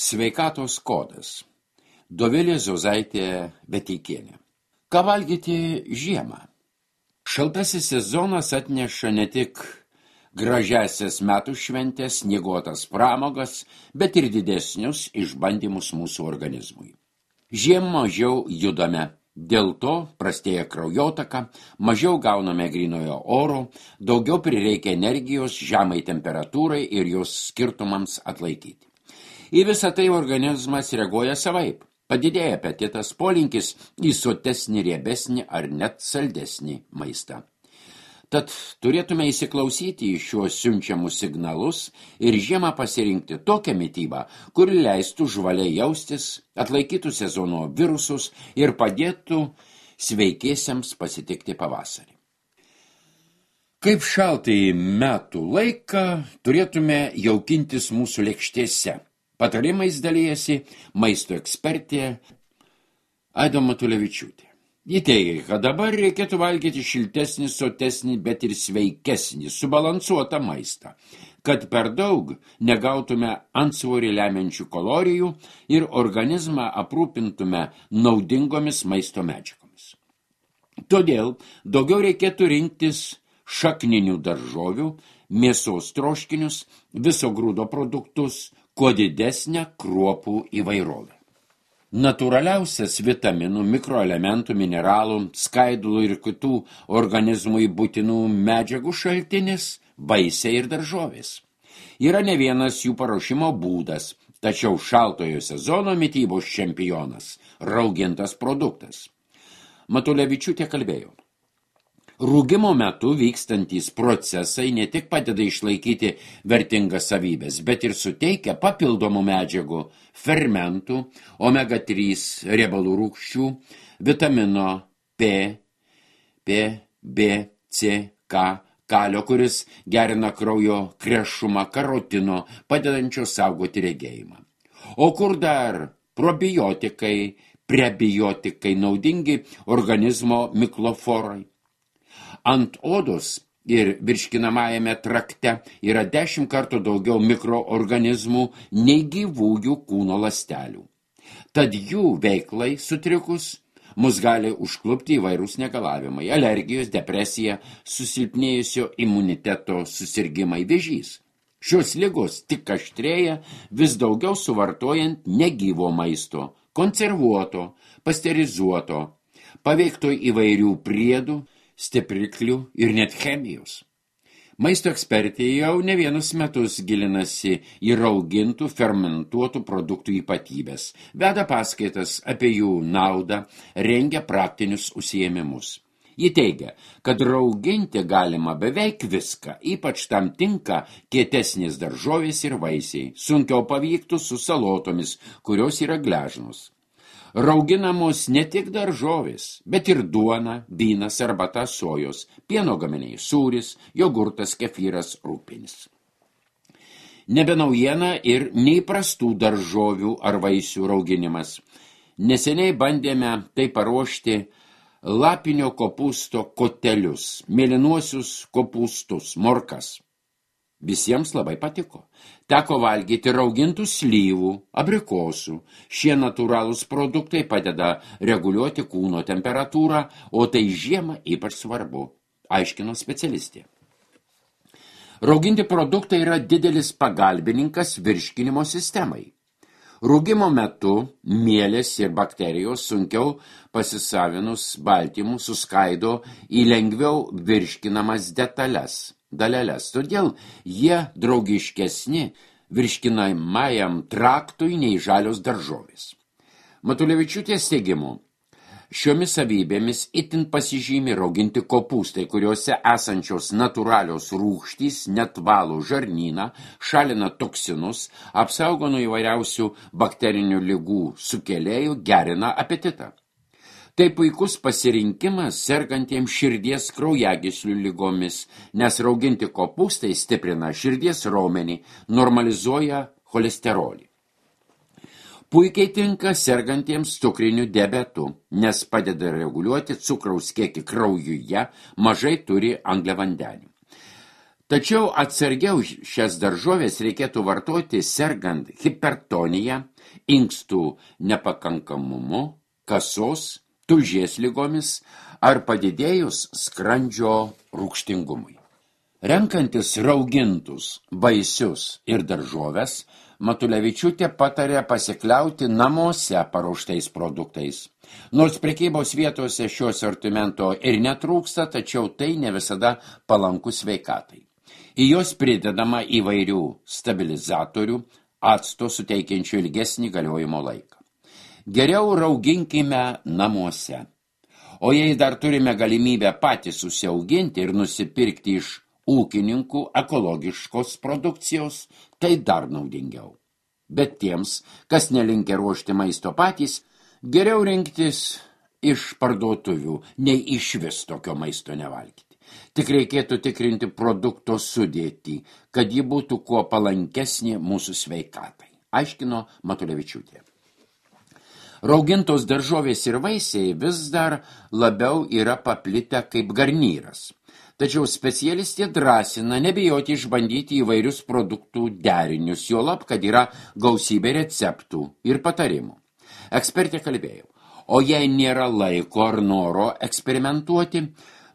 Sveikatos kodas. Dovilė Zozaitė Beteikienė. Ką valgyti žiemą? Šaltasis sezonas atneša ne tik gražiasias metų šventės, snieguotas pramogas, bet ir didesnius išbandymus mūsų organizmui. Žiemą mažiau judame, dėl to prastėja kraujotaka, mažiau gauname grynojo oro, daugiau prireikia energijos žemai temperatūrai ir jos skirtumams atlaikyti. Į visą tai organizmas reaguoja savaip. Padidėja apetitas, polinkis į sotesnį, riebesnį ar net saldesnį maistą. Tad turėtume įsiklausyti į šiuos siunčiamus signalus ir žiemą pasirinkti tokią mitybą, kuri leistų žvaliai jaustis, atlaikytų sezono virusus ir padėtų sveikiesiems pasitikti pavasarį. Kaip šaltąjį metų laiką turėtume jaukintis mūsų lėkštėse. Patarimais dalyjasi maisto ekspertė Aida Matulevičiūtė. Ji teigia, kad dabar reikėtų valgyti šiltesnį, sotesnį, bet ir sveikesnį, subalansuotą maistą, kad per daug negautume antsvorį lemiančių kalorijų ir organizmą aprūpintume naudingomis maisto medžiagomis. Todėl daugiau reikėtų rinktis šakninių daržovių, mėsos troškinius, viso grūdo produktus, kuo didesnę kruopų įvairovę. Natūraliausias vitaminų, mikroelementų, mineralų, skaidulų ir kitų organizmui būtinų medžiagų šaltinis – vaisiai ir daržovės. Yra ne vienas jų paruošimo būdas, tačiau šaltojo sezono mitybos čempionas – raugintas produktas. Matulevičiūtė kalbėjo. Rūgimo metu vykstantys procesai ne tik padeda išlaikyti vertingas savybės, bet ir suteikia papildomų medžiagų, fermentų, omega-3 riebalų rūgščių, vitamino P, B, C, K, kalio, kuris gerina kraujo krešumą, karotino, padedančio saugoti regėjimą. O kur dar probiotikai, prebiotikai, naudingi organizmo mikloforai. Ant odos ir virškinamajame trakte yra 10 kartų daugiau mikroorganizmų nei gyvųjų kūno ląstelių. Tad jų veiklai sutrikus mus gali užklupti įvairūs negalavimai, alergijos, depresija, susilpnėjusio imuniteto susirgimai, vėžys. Šios ligos tik aštrėja vis daugiau suvartojant negyvo maisto, konservuoto, pasterizuoto, paveikto įvairių priedų, stipriklių ir net chemijos. Maisto ekspertė jau ne vienus metus gilinasi į raugintų, fermentuotų produktų ypatybės, veda paskaitas apie jų naudą, rengia praktinius užsiėmimus. Ji teigia, kad rauginti galima beveik viską, ypač tam tinka kietesnės daržovės ir vaisiai, sunkiau pavyktų su salotomis, kurios yra gležnos. Rauginamos ne tik daržovės, bet ir duona, vynas, arbata, sojos, pieno gaminiai, sūris, jogurtas, kefyras, rūgpienis. Nebe naujiena ir neįprastų daržovių ar vaisių rauginimas. Neseniai bandėme tai paruošti lapinio kopūsto kotelius, mėlynuosius kopūstus, morkas. Visiems labai patiko. Teko valgyti raugintų slyvų, abrikosų. Šie natūralūs produktai padeda reguliuoti kūno temperatūrą, o tai žiemą ypač svarbu, aiškino specialistė. Rauginti produktai yra didelis pagalbininkas virškinimo sistemai. Rūgimo metu mielės ir bakterijos sunkiau pasisavinus baltymų suskaido į lengviau virškinamas daleles, todėl jie draugiškesni virškinamajam traktui nei žalios daržovės. Matulevičiūtės teigimu, šiomis savybėmis itin pasižymi rauginti kopūstai, kuriuose esančios natūralios rūgštys net valo žarnyną, šalina toksinus, apsaugo nuo įvairiausių bakterinių ligų sukėlėjų, gerina apetitą. Tai puikus pasirinkimas sergantiems širdies kraujagyslių ligomis, nes rauginti kopūstai stiprina širdies raumenį, normalizuoja cholesterolį. Puikiai tinka sergantiems cukriniu diabetu, nes padeda reguliuoti cukraus kiekį kraujuje, mažai turi angliavandenių. Tačiau atsargiau šias daržovės reikėtų vartoti sergant hipertonija, inkstų nepakankamumu, kasos, tulžies ligomis ar padidėjus skrandžio rūgštingumui. Renkantis raugintus vaisius ir daržoves, Matulevičiūtė patarė pasikliauti namuose paruoštais produktais. Nors prekybos vietose šio asortimento ir netrūksta, tačiau tai ne visada palanku sveikatai. Į jos pridedama įvairių stabilizatorių, acto suteikiančių ilgesnį galiojimo laiką. Geriau rauginkime namuose. O jei dar turime galimybę patys susiauginti ir nusipirkti iš ūkininkų ekologiškos produkcijos, tai dar naudingiau. Bet tiems, kas nelinkę ruošti maisto patys, geriau rinktis iš parduotuvių, nei išvis tokio maisto nevalgyti. Tik reikėtų tikrinti produkto sudėtį, kad ji būtų kuo palankesnė mūsų sveikatai, aiškino Matulevičiūtė. Raugintos daržovės ir vaisiai vis dar labiau yra paplitę kaip garnyras. Tačiau specialistė drąsina nebijoti išbandyti įvairius produktų derinius, juolab, kad yra gausybė receptų ir patarimų. Ekspertė kalbėjo, o jei nėra laiko ar noro eksperimentuoti,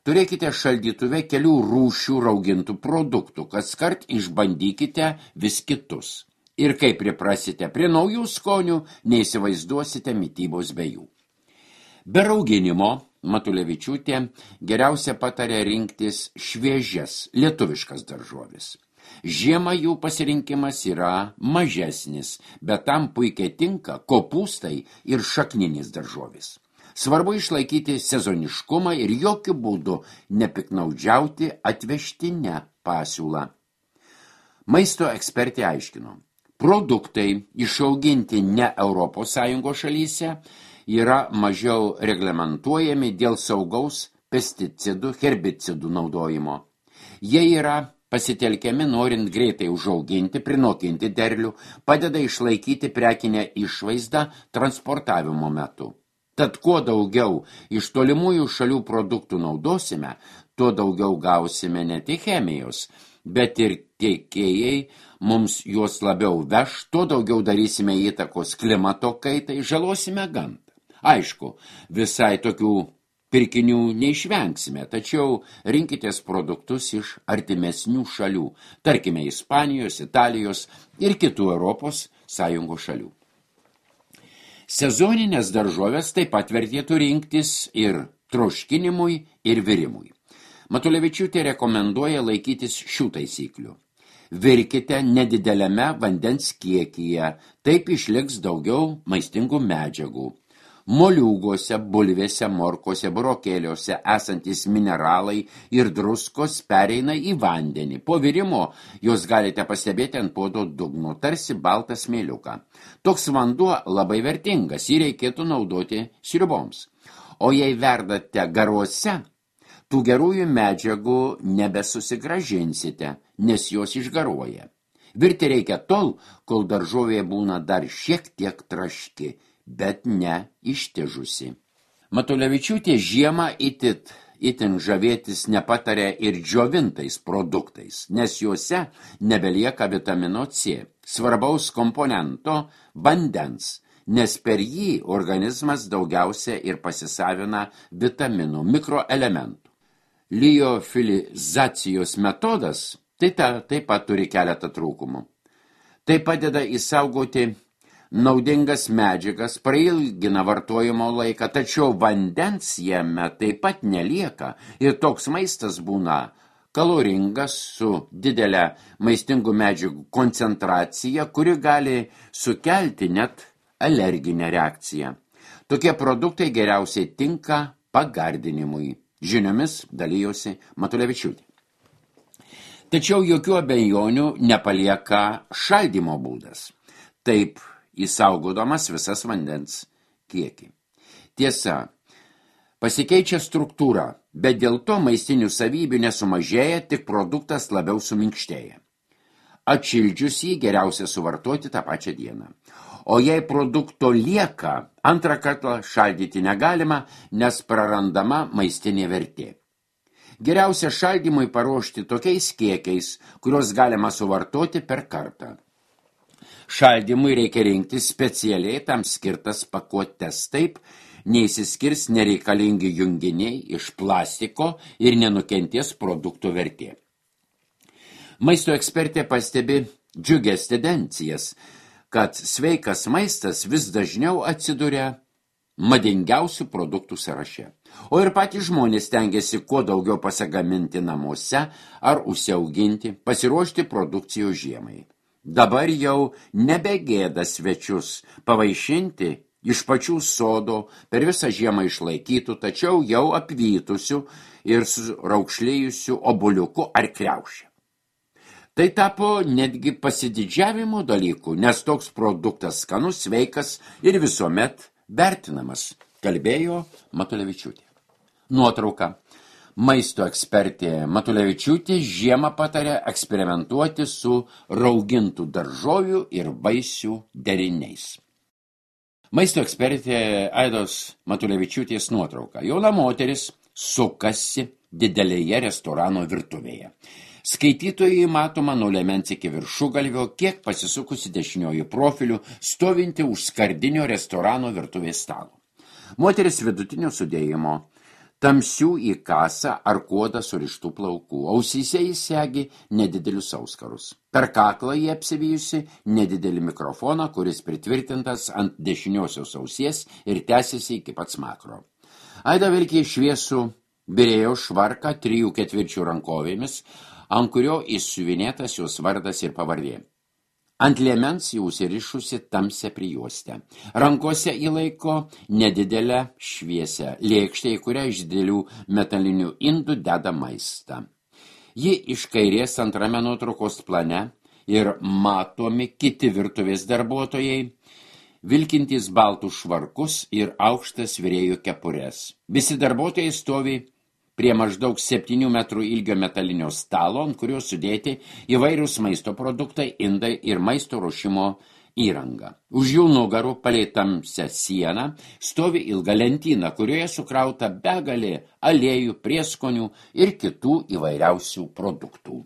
turėkite šaldytuve kelių rūšių raugintų produktų, kaskart išbandykite vis kitus. Ir kai priprasite prie naujų skonių, neįsivaizduosite mitybos be jų. Be rauginimo Matulevičiūtė geriausia patarė rinktis šviežias lietuviškas daržoves. Žiemą jų pasirinkimas yra mažesnis, bet tam puikiai tinka kopūstai ir šakninis daržovis. Svarbu išlaikyti sezoniškumą ir jokių būdų nepiknaudžiauti atvežtinę pasiūlą. Maisto ekspertė aiškino, produktai išauginti ne ES šalyse yra mažiau reglamentuojami dėl saugaus pesticidų, herbicidų naudojimo. Jie yra pasitelkiami norint greitai užauginti, prinokinti derlių, padeda išlaikyti prekinę išvaizdą transportavimo metu. Tad kuo daugiau iš tolimųjų šalių produktų naudosime, tuo daugiau gausime ne tik chemijos, bet ir tiekėjai mums juos labiau veš, tuo daugiau darysime įtakos klimato kaitai, žalosime gamtą. Aišku, visai tokių pirkinių neišvengsime, tačiau rinkitės produktus iš artimesnių šalių, tarkime Ispanijos, Italijos ir kitų Europos Sąjungos šalių. Sezoninės daržovės taip pat vertėtų rinktis ir troškinimui, ir virimui. Matulevičiūtė rekomenduoja laikytis šių taisyklių. Virkite nedideliame vandens kiekyje, taip išliks daugiau maistingų medžiagų. Moliūguose, bulvėse, morkose, burokėliuose esantis mineralai ir druskos pereina į vandenį. Po virimo jos galite pastebėti ant puodo dugno, tarsi baltą smėliuką. Toks vanduo labai vertingas, jį reikėtų naudoti sriuboms. O jei verdate garuose, tų gerųjų medžiagų nebesusigražinsite, nes jos išgaruoja. Virti reikia tol, kol daržovė būna dar šiek tiek traški, bet ne ištižusi. Matulevičiūtė žiemą itin žavėtis nepatarė ir džiovintais produktais, nes juose nebelieka vitamino C, svarbaus komponento vandens, nes per jį organizmas daugiausia ir pasisavina vitaminų, mikroelementų. Liofilizacijos metodas taip pat turi keletą trūkumų. Tai padeda išsaugoti naudingas medžiagas, prailgina vartojimo laiką, tačiau vandens jame taip pat nelieka ir toks maistas būna kaloringas su didelė maistingų medžiagų koncentracija, kuri gali sukelti net alerginę reakciją. Tokie produktai geriausiai tinka pagardinimui. Žiniomis dalijosi Matulevičiūtė. Tačiau jokių abejonių nepalieka šaldymo būdas. Taip įsaugodamas visas vandens kiekį. Tiesa, pasikeičia struktūra, bet dėl to maistinių savybių nesumažėja, tik produktas labiau suminkštėja. Atšildžius jį geriausia suvartoti tą pačią dieną. O jei produkto lieka, antrą kartą šaldyti negalima, nes prarandama maistinė vertė. Geriausia šaldymui paruošti tokiais kiekiais, kuriuos galima suvartoti per kartą. Šaldymui reikia rinktis specialiai tam skirtas pakuotes, taip neįsiskirs nereikalingi junginiai iš plastiko ir nenukentės produktų vertė. Maisto ekspertė pastebi džiugias tendencijas, kad sveikas maistas vis dažniau atsiduria madingiausių produktų sąraše. O ir patys žmonės stengiasi kuo daugiau pasigaminti namuose ar užsiauginti, pasiruošti produkcijos žiemai. Dabar jau nebegėda svečius pavaišinti iš pačių sodo per visą žiemą išlaikytų, tačiau jau apvytusių ir raukšlėjusių obuoliukų ar kriaušę. Tai tapo netgi pasididžiavimo dalykų, nes toks produktas skanus, sveikas ir visuomet vertinamas, kalbėjo Matulevičiūtė. Nuotrauka. Maisto ekspertė Matulevičiūtė žiemą patarė eksperimentuoti su raugintų daržovių ir vaisių deriniais. Maisto ekspertė Aidos Matulevičiūtės nuotrauka. Jauna moteris sukasi didelėje restorano virtuvėje. Skaitytojai matoma nuo liemens iki viršugalvio, kiek pasisukusi dešinioji profiliu, stovinti už skardinio restorano virtuvės stalo. Moteris vidutinio sudėjimo, tamsių į kasą ar kuodą surištų plaukų, ausyse jis segi nedidelius auskarus. Per kaklą jie apsivijusi nedidelį mikrofoną, kuris pritvirtintas ant dešiniosios ausies ir tęsiasi iki pat smakro. Aida vilkė šviesų birėjo švarką 3/4 rankovėmis, ant kurio įsiuvinėtas jos vardas ir pavardė. Ant liemens jau užsirišusi tamsią prijuostę. Rankose įlaiko nedidelę šviesę lėkštę, į kurią iš didelių metalinių indų deda maistą. Ji iš kairės antrame nuotraukos plane ir matomi kiti virtuvės darbuotojai, vilkintys baltus švarkus ir aukštas virėjų kepures. Visi darbuotojai stovi prie maždaug 7 metrų ilgio metalinio stalo, ant kurio sudėti įvairūs maisto produktai, indai ir maisto ruošimo įranga. Už jų nugarų palei tamsią sieną stovi ilga lentyna, kurioje sukrauta begalė aliejų, prieskonių ir kitų įvairiausių produktų.